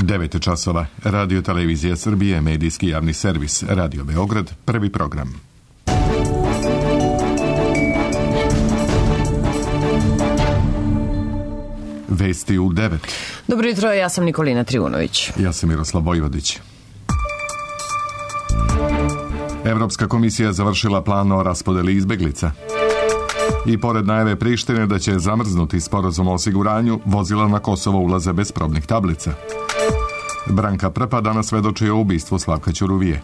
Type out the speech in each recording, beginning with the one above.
9 časova. Radio Televizija Srbije, medijski javni servis. Radio Beograd, prvi program. Vesti u 9. Dobro jutro, ja sam Nikolina Trivunović. Ja sam Miroslav Vojvodić. Evropska komisija završila plan o raspodeli izbeglica. I pored najave Prištine da će zamrznuti sporazum o osiguranju, vozila na Kosovo ulaze bez probnih tablica. Branka Prpa danas svedoči o ubistvu Slavka Ćuruvije.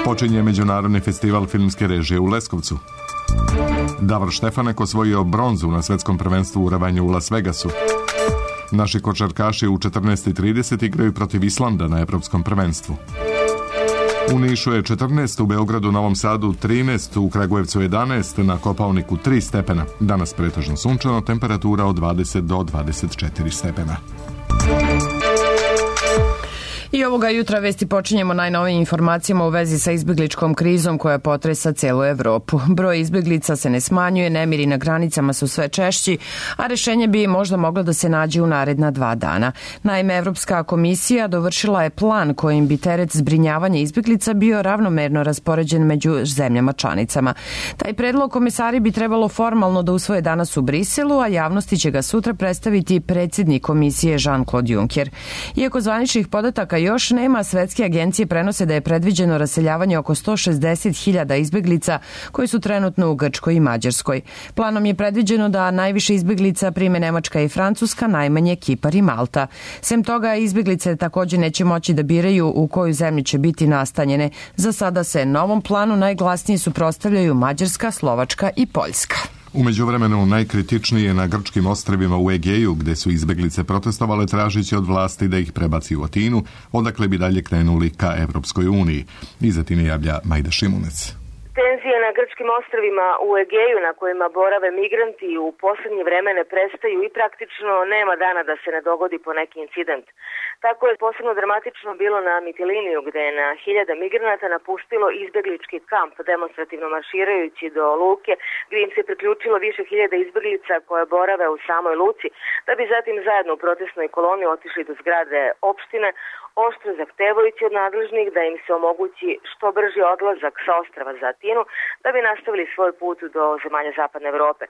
Počinje Međunarodni festival filmske režije u Leskovcu. Davor Štefanek osvojio bronzu na svetskom prvenstvu u ravanju u Las Vegasu. Naši košarkaši u 14:30 igraju protiv Islanda na evropskom prvenstvu. U Nišu je 14, u Beogradu, Novom Sadu 13, u Kragujevcu 11, na Kopaoniku 3 stepena. Danas pretežno sunčano, temperatura od 20 do 24 stepena. I ovoga jutra vesti počinjemo najnovijim informacijama u vezi sa izbegličkom krizom koja potresa celu Evropu. Broj izbeglica se ne smanjuje, nemiri na granicama su sve češći, a rešenje bi možda moglo da se nađe u naredna 2 dana. Naime, Evropska komisija dovršila je plan kojim bi teret zbrinjavanja izbeglica bio ravnomerno raspoređen među zemljama članicama. Taj predlog komesari bi trebalo formalno da usvoje danas u Briselu, a javnosti će ga sutra predstaviti predsjednik komisije Jean-Claude Juncker. Iako zvaničnih podataka još nema, svetske agencije prenose da je predviđeno raseljavanje oko 160.000 izbeglica koji su trenutno u Grčkoj i Mađarskoj. Planom je predviđeno da najviše izbeglica prime Nemačka i Francuska, najmanje Kipar i Malta. Sem toga, izbeglice također neće moći da biraju u koju zemlju će biti nastanjene. Za sada se novom planu najglasnije suprotstavljaju Mađarska, Slovačka i Poljska. U međuvremenu najkritičnije na grčkim ostrvima u Egeju, gde su izbeglice protestovale tražići od vlasti da ih prebaci u Atinu, odakle bi dalje krenuli ka Evropskoj uniji. Iz Atine javlja Majda Šimunec. Tenzije na grčkim ostrvima u Egeju na kojima borave migranti u posljednje vreme ne prestaju i praktično nema dana da se ne dogodi po neki incident. Tako je posebno dramatično bilo na Mitiliniju, gde je na 1000 migranata napustilo izbeglički kamp, demonstrativno marširajući do luke, gdje im se priključilo više hiljada izbeglica koje borave u samoj luci, da bi zatim zajedno u protestnoj koloni otišli do zgrade opštine, oštro zahtevajući od nadležnih da im se omogući što brži odlazak sa ostrava za Atinu, da bi nastavili svoj put do zemalja Zapadne Evrope.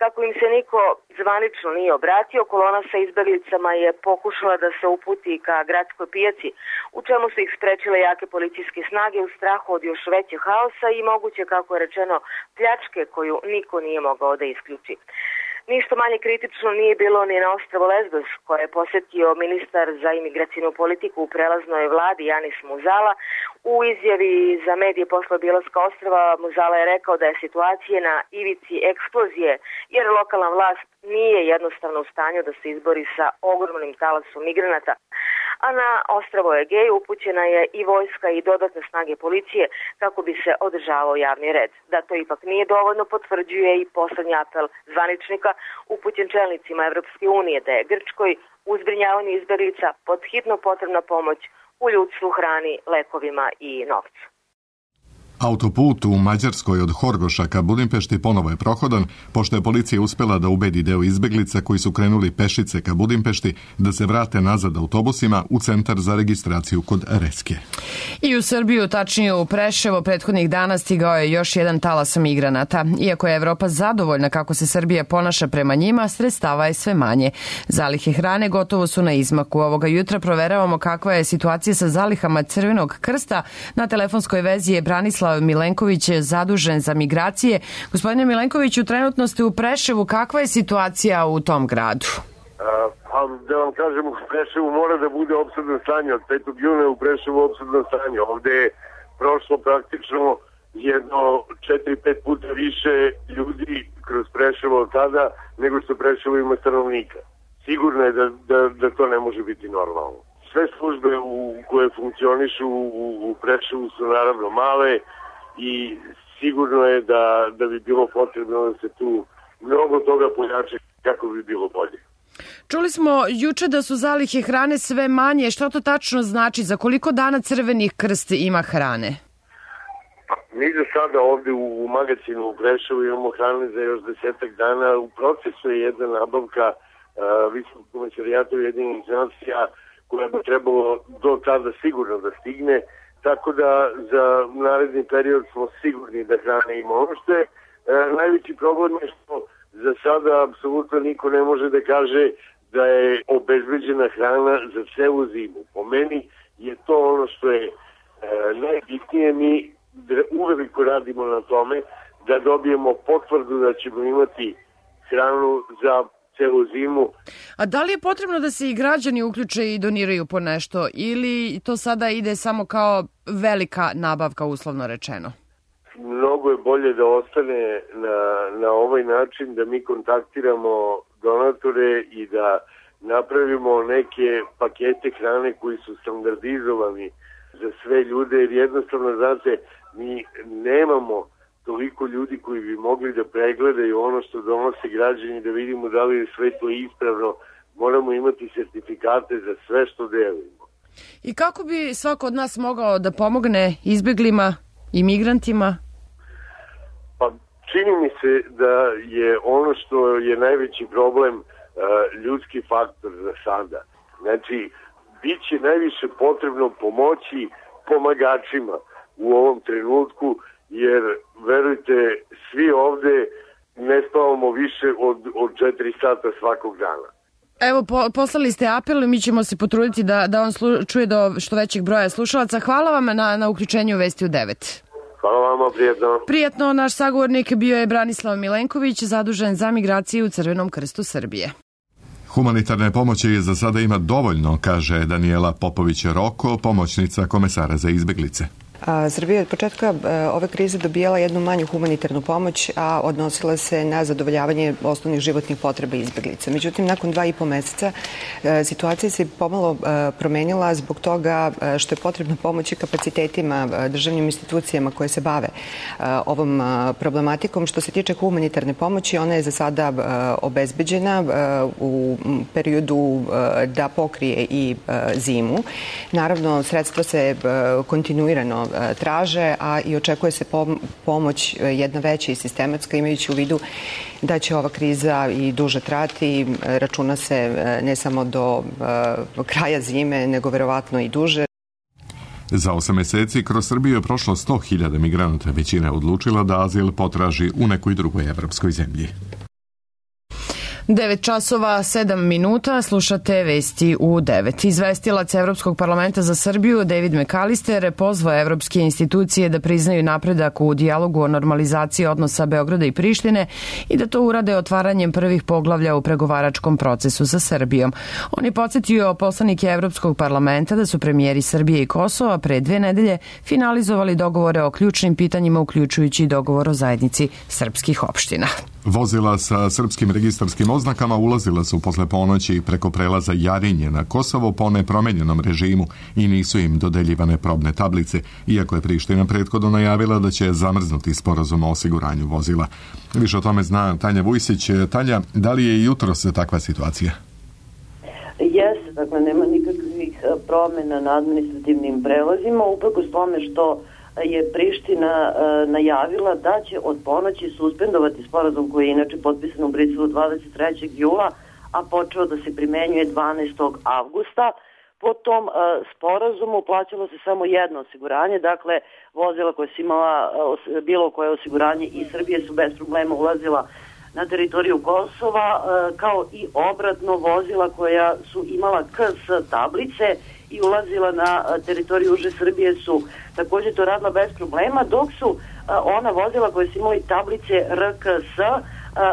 Kako im se niko zvanično nije obratio, kolona sa izbeglicama je pokušala da se uputi ka gradskoj pijaci, u čemu su ih sprečile jake policijske snage u strahu od još većeg haosa i moguće, kako je rečeno, pljačke koju niko nije mogao da isključi. Ništa manje kritično nije bilo ni na ostrvo Lesbos, koje je posjetio ministar za imigracijnu politiku u prelaznoj vladi Janis Muzala. U izjavi za medije posle obilaska ostrva Muzala je rekao da je situacija na ivici eksplozije, jer lokalna vlast nije jednostavno u stanju da se izbori sa ogromnim talasom migranata. A na ostrvo Egeju upućena je i vojska i dodatne snage policije kako bi se održavao javni red. Da to ipak nije dovoljno potvrđuje i poslednji apel zvaničnika upućen čelnicima Evropske unije da je Grčkoj u zbrinjavanju izbeglica podhitno potrebna pomoć u ljudstvu, hrani, lekovima i novcu. Autoput u Mađarskoj od Horgoša ka Budimpešti ponovo je prohodan, pošto je policija uspela da ubedi deo izbeglica koji su krenuli pešice ka Budimpešti da se vrate nazad autobusima u centar za registraciju kod Reske. I u Srbiju, tačnije u Preševo, prethodnih dana stigao je još jedan talas migranata. Iako je Evropa zadovoljna kako se Srbija ponaša prema njima, sredstava je sve manje. Zalihe hrane gotovo su na izmaku. Ovoga jutra proveravamo kakva je situacija sa zalihama Crvenog krsta. Na telefonskoj vezi je Branislav Milenković, zadužen za migracije. Gospodine Milenkoviću, trenutno ste u Preševu. Kakva je situacija u tom gradu? Da vam kažem, u Preševu mora da bude opsadno stanje. Od 5. juna u Preševu opsadno stanje. Ovde je prošlo praktično jedno 4-5 puta više ljudi kroz Preševo od tada nego što Preševo ima stanovnika. Sigurno je da to ne može biti normalno. Sve službe koje funkcionišu u Preševu su naravno male i sigurno je da bi bilo potrebno da se tu mnogo toga pojače kako bi bilo bolje. Čuli smo juče da su zalihe hrane sve manje. Što to tačno znači? Za koliko dana Crveni krst ima hrane? Mi za sada ovde u magazinu u Preševu imamo hrane za još 10 dana. U procesu je jedna nabavka Visokog komesarijata Ujedinjenih nacija koja bi trebalo do tada sigurno da stigne, tako da za naredni period smo sigurni da hrane ima ono što je. Najveći problem je što za sada apsolutno niko ne može da kaže da je obezbeđena hrana za celu zimu. Po meni je to ono što je najbitnije. Mi uveliko radimo na tome da dobijemo potvrdu da ćemo imati hranu za celu zimu. A da li je potrebno da se i građani uključe i doniraju po nešto ili to sada ide samo kao velika nabavka, uslovno rečeno? Mnogo je bolje da ostane na ovaj način, da mi kontaktiramo donatore i da napravimo neke pakete hrane koji su standardizovani za sve ljude, jer jednostavno, znate, mi nemamo toliko ljudi koji bi mogli da pregledaju ono što donose građani, da vidimo da li je sve to ispravno. Moramo imati sertifikate za sve što delimo. I kako bi svako od nas mogao da pomogne izbeglima i migrantima? Pa čini mi se da je ono što je najveći problem ljudski faktor za sada. Znači, bit će najviše potrebno pomoći pomagačima u ovom trenutku, jer verujte, svi ovde ne spavamo više od 4 sata svakog dana. Evo, poslali ste apel i mi ćemo se potruditi da on čuje do što većeg broja slušalaca. Hvala vam na uključenju Vesti u 9. Hvala vama, prijatno. Prijatno, naš sagovornik bio je Branislav Milenković, zadužen za migraciju u Crvenom krstu Srbije. Humanitarne pomoći za sada ima dovoljno, kaže Daniela Popović-Roko, pomoćnica komesara za izbeglice. Srbija je od početka ove krize dobijala jednu manju humanitarnu pomoć, a odnosila se na zadovoljavanje osnovnih životnih potreba izbeglica. Međutim, nakon 2,5 meseca situacija se pomalo promenila zbog toga što je potrebno pomoći kapacitetima, državnim institucijama koje se bave ovom problematikom. Što se tiče humanitarne pomoći, ona je za sada obezbeđena u periodu da pokrije i zimu. Naravno, sredstva se kontinuirano traže, a i očekuje se pomoć jedna veća i sistematska, imajući u vidu da će ova kriza i duže trati. Računa se ne samo do kraja zime, nego verovatno i duže. Za 8 meseci kroz Srbiju je prošlo 100.000 migranata. Većina je odlučila da azil potraži u nekoj drugoj evropskoj zemlji. 9 časova 7 minuta, slušate Vesti u 9. Izvestilac Evropskog parlamenta za Srbiju David McAllister pozvao evropske institucije da priznaju napredak u dijalogu o normalizaciji odnosa Beograda i Prištine i da to urade otvaranjem prvih poglavlja u pregovaračkom procesu sa Srbijom. On je podsjetio poslanike Evropskog parlamenta da su premijeri Srbije i Kosova pre 2 nedelje finalizovali dogovore o ključnim pitanjima, uključujući i dogovor o zajednici srpskih opština. Vozila sa srpskim registarskim oznakama ulazila su posle ponoći preko prelaza Jarinje na Kosovo po nepromenjenom režimu i nisu im dodeljivane probne tablice, iako je Priština prethodno najavila da će zamrznuti sporazum o osiguranju vozila. Više o tome zna Tanja Vujsić. Tanja, da li je i jutros takva situacija? Jeste, dakle nema nikakvih promjena na administrativnim prelazima, uprkos tome što je Priština najavila da će od ponoći suspendovati sporazum koji je inače potpisan u Briselu 23. jula, a počeo da se primenjuje 12. avgusta. Po tom sporazumu plaćalo se samo jedno osiguranje, dakle vozila koja su imala bilo koje osiguranje i Srbije su bez problema ulazila na teritoriju Kosova, kao i obratno vozila koja su imala KS tablice i ulazila na teritoriju uže Srbije su također to radila bez problema, dok su ona vozila koje su imali tablice RKS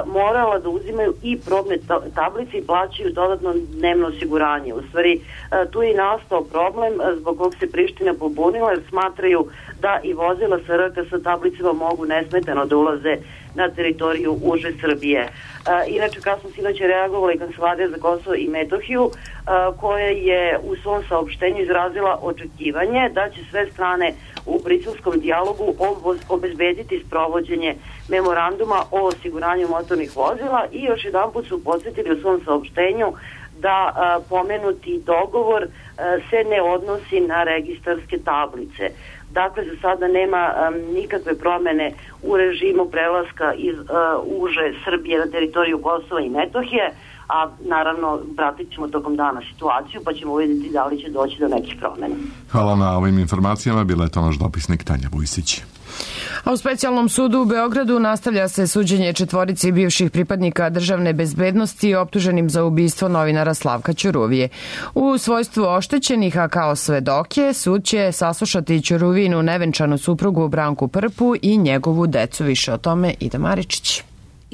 morala da uzimaju i probne tablice i plaćaju dodatno dnevno osiguranje. U stvari, tu je nastao problem zbog kog se Priština pobunila, jer smatraju da i vozila sa RKS tablicama mogu nesmetano da ulaze na teritoriju uže Srbije. Inače, kasno sinoć je reagovala i Kancelarija za Kosovo i Metohiju, koja je u svom saopštenju izrazila očekivanje da će sve strane u briselskom dijalogu obezbediti sprovođenje memoranduma o osiguranju motornih vozila i još jedan put su podsjetili u svom saopštenju da pomenuti dogovor se ne odnosi na registarske tablice. Dakle, za sada nema nikakve promene u režimu prelaska iz uže Srbije na teritoriju Kosova i Metohije, a naravno pratit ćemo tokom dana situaciju pa ćemo vidjeti da li će doći do nekih promjena. Hvala na ovim informacijama, bila je to naš dopisnik Tanja Vujsić. A u specijalnom sudu u Beogradu nastavlja se suđenje 4 bivših pripadnika državne bezbednosti optuženim za ubistvo novinara Slavka Ćuruvije. U svojstvu oštećenih, a kao svedoke, sud će saslušati Ćuruvinu nevenčanu suprugu Branku Prpu i njegovu decu. Više o tome Ida Maričić.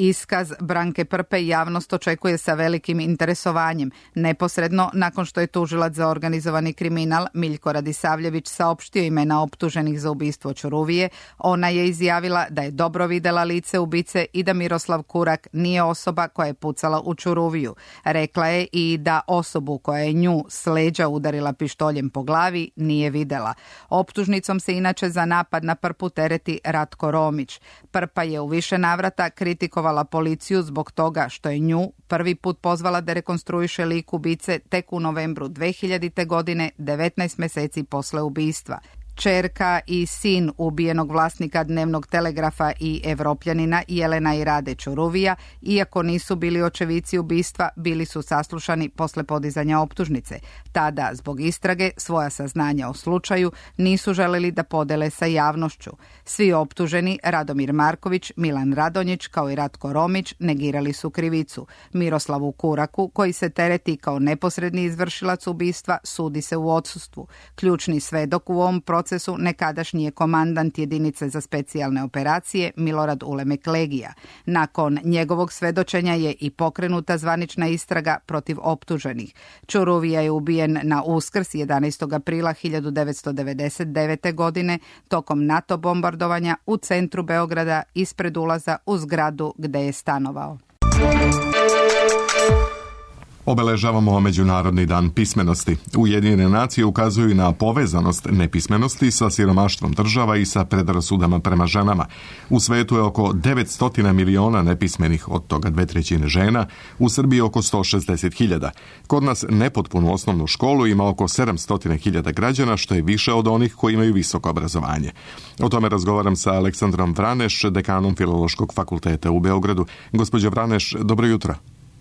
Iskaz Branke Prpe javnost očekuje sa velikim interesovanjem. Neposredno nakon što je tužilac za organizovani kriminal Miljko Radisavljević saopštio imena optuženih za ubistvo Ćuruvije, ona je izjavila da je dobro videla lice ubice i da Miroslav Kurak nije osoba koja je pucala u Ćuruviju. Rekla je i da osobu koja je nju s leđa udarila pištoljem po glavi nije videla. Optužnicom se inače za napad na Prpu tereti Ratko Romić. Prpa je u više navrata kritikovala policiju zbog toga što je nju prvi put pozvala da rekonstruiše lik ubice tek u novembru 2000. godine, 19 meseci posle ubistva. Čerka i sin ubijenog vlasnika Dnevnog telegrafa i Evropljanina Jelena i Rade Ćuruvija, iako nisu bili očevici ubistva, bili su saslušani posle podizanja optužnice. Tada, zbog istrage, svoja saznanja o slučaju nisu želeli da podele sa javnošću. Svi optuženi, Radomir Marković, Milan Radonjić kao i Ratko Romić, negirali su krivicu. Miroslavu Kuraku, koji se tereti kao neposredni izvršilac ubistva, sudi se u odsustvu. Ključni svedok u ovom procesu nekadašnji je komandant jedinice za specijalne operacije Milorad Ulemek Legija. Nakon njegovog svedočenja je i pokrenuta zvanična istraga protiv optuženih. Ćuruvija je ubijen na Uskrs 11. aprila 1999. godine tokom NATO bombardovanja u centru Beograda ispred ulaza u zgradu gde je stanovao. Obeležavamo Međunarodni dan pismenosti. Ujedinjene nacije ukazuju na povezanost nepismenosti sa siromaštvom država i sa predrasudama prema ženama. U svetu je oko 900 miliona nepismenih, od toga 2/3 žena, u Srbiji oko 160.000. Kod nas nepotpunu osnovnu školu ima oko 700.000 građana, što je više od onih koji imaju visoko obrazovanje. O tome razgovaram sa Aleksandrom Vraneš, dekanom Filološkog fakulteta u Beogradu. Gospođo Vraneš, dobro jutro.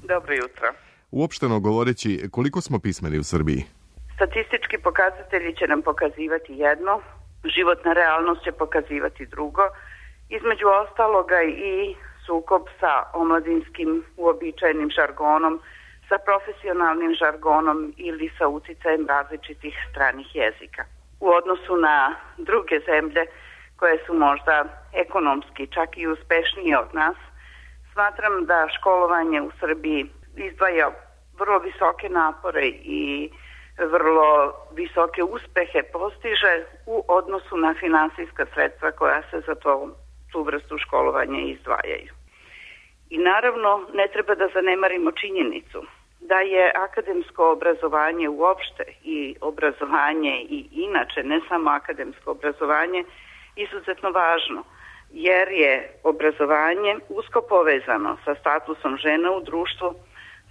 Dobro jutro. Uopšteno govoreći, koliko smo pismeni u Srbiji? Statistički pokazatelji će nam pokazivati jedno, životna realnost će pokazivati drugo, između ostaloga i sukob sa omladinskim uobičajenim žargonom, sa profesionalnim žargonom ili sa uticajem različitih stranih jezika. U odnosu na druge zemlje koje su možda ekonomski čak i uspešnije od nas, smatram da školovanje u Srbiji izdvaja vrlo visoke napore i vrlo visoke uspehe postiže u odnosu na finansijska sredstva koja se za tu vrstu školovanja izdvajaju. I naravno ne treba da zanemarimo činjenicu da je akademsko obrazovanje uopšte i obrazovanje i inače, ne samo akademsko obrazovanje, izuzetno važno, jer je obrazovanje usko povezano sa statusom žena u društvu,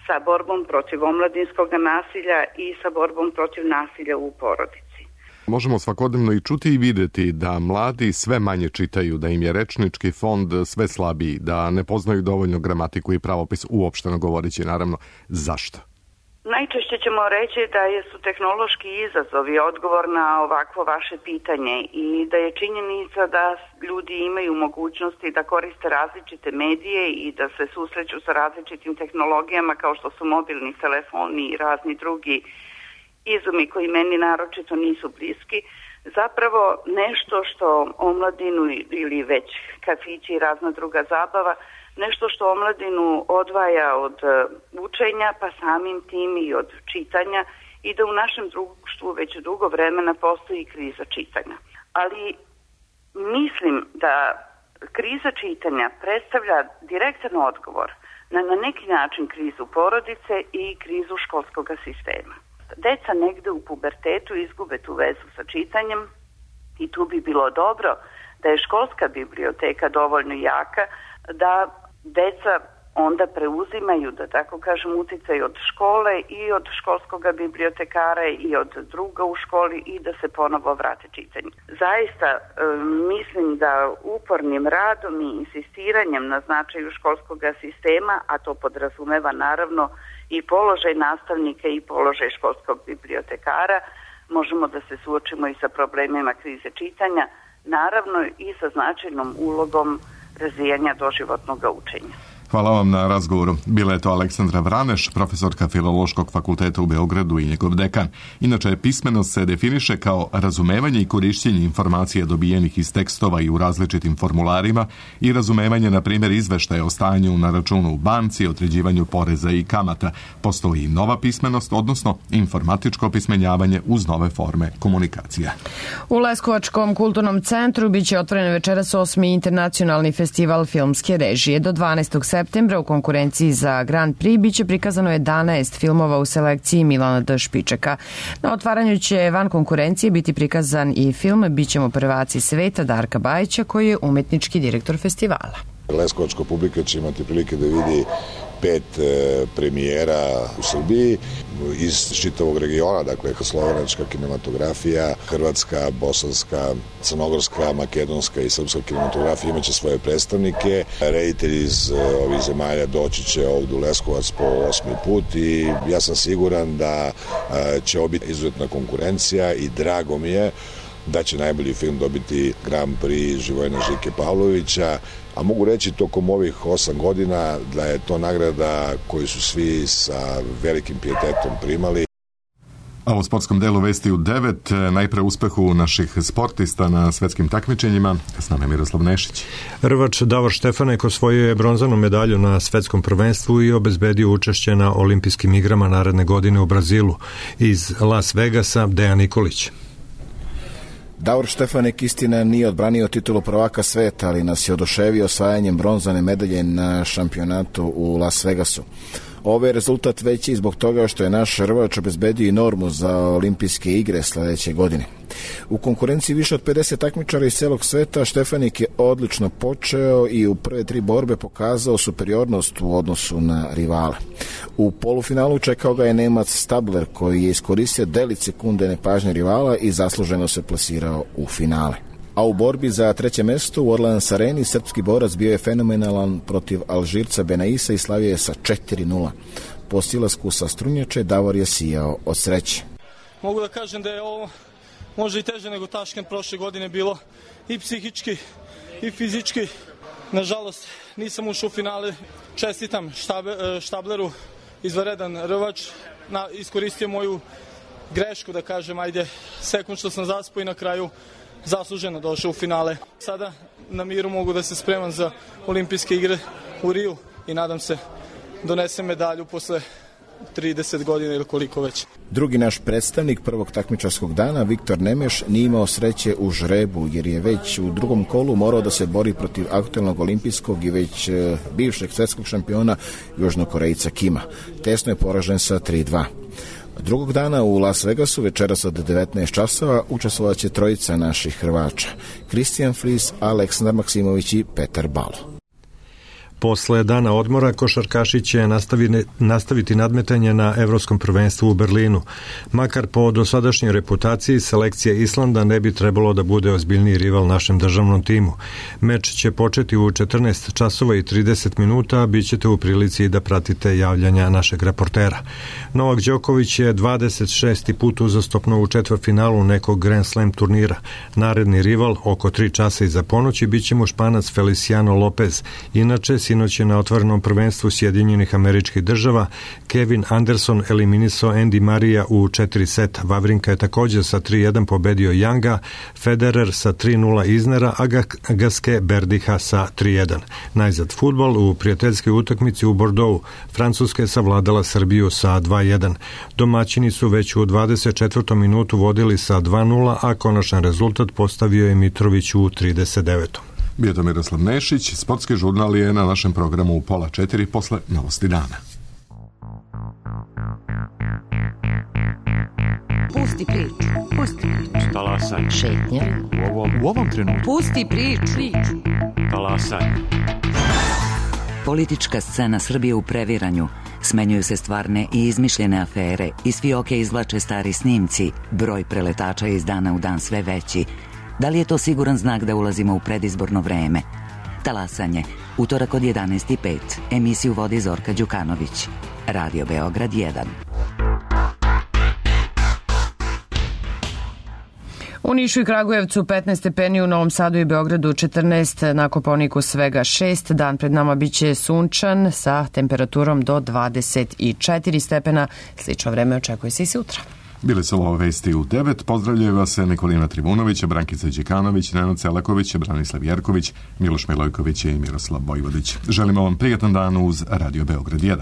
sa borbom protiv omladinskog nasilja i sa borbom protiv nasilja u porodici. Možemo svakodnevno i čuti i videti da mladi sve manje čitaju, da im je rečnički fond sve slabiji, da ne poznaju dovoljno gramatiku i pravopis, uopšteno govoreći, naravno. Zašto? Najčešće ćemo reći da su tehnološki izazovi odgovor na ovakvo vaše pitanje i da je činjenica da ljudi imaju mogućnosti da koriste različite medije i da se susreću sa različitim tehnologijama kao što su mobilni telefoni i razni drugi izumi koji meni naročito nisu bliski, zapravo nešto što omladinu ili već kafići i razna druga zabava, nešto što omladinu odvaja od učenja, pa samim tim i od čitanja, i da u našem društvu već dugo vremena postoji kriza čitanja. Ali mislim da kriza čitanja predstavlja direktan odgovor na neki način krizu porodice i krizu školskog sistema. Deca negde u pubertetu izgube tu vezu sa čitanjem i tu bi bilo dobro da je školska biblioteka dovoljno jaka da deca onda preuzimaju, da tako kažem, uticaj od škole i od školskog bibliotekara i od druga u školi i da se ponovo vrate čitanju. Zaista mislim da upornim radom i insistiranjem na značaju školskog sistema, a to podrazumeva naravno i položaj nastavnika i položaj školskog bibliotekara. Možemo da se suočimo i sa problemima krize čitanja, naravno i sa značajnom ulogom razvijanja doživotnog učenja. Hvala vam na razgovoru. Bila je to Aleksandra Vraneš, profesorka Filološkog fakulteta u Beogradu i njegov dekan. Inače, pismenost se definiše kao razumevanje i korišćenje informacija dobijenih iz tekstova i u različitim formularima i razumevanje, na primjer, izveštaja o stanju na računu u banci, određivanju poreza i kamata. Postoji i nova pismenost, odnosno informatičko pismenjavanje uz nove forme komunikacija. U Leskovačkom kulturnom centru biće otvoren večeras 8. internacionalni festival filmske režije. Do 12. septembra u konkurenciji za Grand Prix biće prikazano 11 filmova u selekciji Milana D. Špičeka. Na otvaranju će van konkurencije biti prikazan i film Bićemo prvaci sveta Darka Bajića, koji je umetnički direktor festivala. Leskovačka publika će imati prilike da vidi 5 premijera u Srbiji iz čitavog regiona, dakle slovenačka kinematografija, hrvatska, bosanska, crnogorska, makedonska i srpska kinematografija imaće svoje predstavnike. Reditelji iz ovih zemalja doći će ovdje u Leskovac po 8. put i ja sam siguran da će ovo biti izuzetna konkurencija i drago mi je da će najbolji film dobiti Grand Prix Živojina Žike Pavlovića, a mogu reći tokom ovih 8 godina da je to nagrada koju su svi sa velikim pijetetom primali. A u sportskom delu vesti u 9, najpre uspehu naših sportista na svetskim takmičenjima. S nama je Miroslav Nešić. Rvač Davor Štefanek osvojio je bronzanu medalju na svetskom prvenstvu i obezbedio učešće na olimpijskim igrama naredne godine u Brazilu. Iz Las Vegasa Dejan Nikolić. Davor Štefanek istina nije odbranio titulu prvaka sveta, ali nas je oduševio osvajanjem bronzane medalje na šampionatu u Las Vegasu. Ovo je rezultat veći zbog toga što je naš rvač obezbedio i normu za olimpijske igre sledeće godine. U konkurenciji više od 50 takmičara iz celog sveta Štefanik je odlično počeo i u prve 3 borbe pokazao superiornost u odnosu na rivala. U polufinalu čekao ga je Nemac Stabler, koji je iskoristio delić sekunde nepažnje rivala i zasluženo se plasirao u finale. A u borbi za 3. mesto u Orleans Areni srpski borac bio je fenomenalan protiv Alžirca Benaisa i slavio je sa 4-0. Po silasku sa strunjače Davor je sijao od sreće. Mogu da kažem da je ovo možda i teže nego Taškent prošle godine bilo, i psihički i fizički. Nažalost, nisam ušao u finale. Čestitam Štableru, izvanredan rvač, iskoristio moju grešku, da kažem, sekund što sam zaspao i na kraju zasluženo došao u finale. Sada na miru mogu da se spremam za olimpijske igre u Riju i nadam se donesem medalju posle 30 godina ili koliko već. Drugi naš predstavnik prvog takmičarskog dana, Viktor Nemeš, nije imao sreće u žrebu, jer je već u drugom kolu morao da se bori protiv aktualnog olimpijskog i već bivšeg svetskog šampiona Južnokorejca Kima. Tesno je poražen sa 3-2. Drugog dana u Las Vegasu večeras od 19 časova učestvovat će trojica naših Hrvača: Kristijan Fris, Aleksandar Maksimović i Petar Balo. Posle dana odmora košarkaši će nastaviti nadmetanje na Evropskom prvenstvu u Berlinu. Makar po dosadašnjoj reputaciji selekcija Islanda ne bi trebalo da bude ozbiljniji rival našem državnom timu. Meč će početi u 14 časova i 30 minuta, a bit ćete u prilici da pratite javljanja našeg reportera. Novak Đoković je 26. put uzastopno u četvrtfinalu nekog Grand Slam turnira. Naredni rival oko 3 časa iza ponoći bit će mu Španac Feliciano Lopez. Inače, sinoć je na otvorenom prvenstvu Sjedinjenih Američkih Država Kevin Anderson eliminisao Andy Marija u 4 seta. Vavrinka je također sa 3-1 pobedio Younga, Federer sa 3-0 Iznera, a Gasquet Berdiha sa 3-1. Najzad fudbal u prijateljskoj utakmici u Bordeauxu. Francuska je savladala Srbiju sa 2-1. Domaćini su već u 24. minutu vodili sa 2-0, a konačan rezultat postavio je Mitrović u 39. Bio to Miroslav Nešić. Sportski žurnal je na našem programu u 3:30 posle novosti dana. Pusti priču. Pusti priču. Talasaj. Šetnja. U ovom trenutku. Pusti priču. Talasaj. Politička scena Srbije u previranju. Smenjuju se stvarne i izmišljene afere. Iz fioke izvlače stari snimci. Broj preletača je iz dana u dan sve veći. Da li je to siguran znak da ulazimo u predizborno vreme? Talasanje, utorak od 11:05. Emisiju vodi Zorka Đukanović. Radio Beograd 1. U Nišu i Kragujevcu 15 stepeni, u Novom Sadu i Beogradu 14, na Kopaoniku svega 6. Dan pred nama biće sunčan sa temperaturom do 24 stepena. Slično vreme očekuje se i sutra. Bile su ovo vesti u 9. Pozdravljaju vas Nikolina Trivunović, Brankica Đekanović, Nenad Celaković, Branislav Jerković, Miloš Milojković i Miroslav Vojvodić. Želimo vam prijatan dan uz Radio Beograd 1.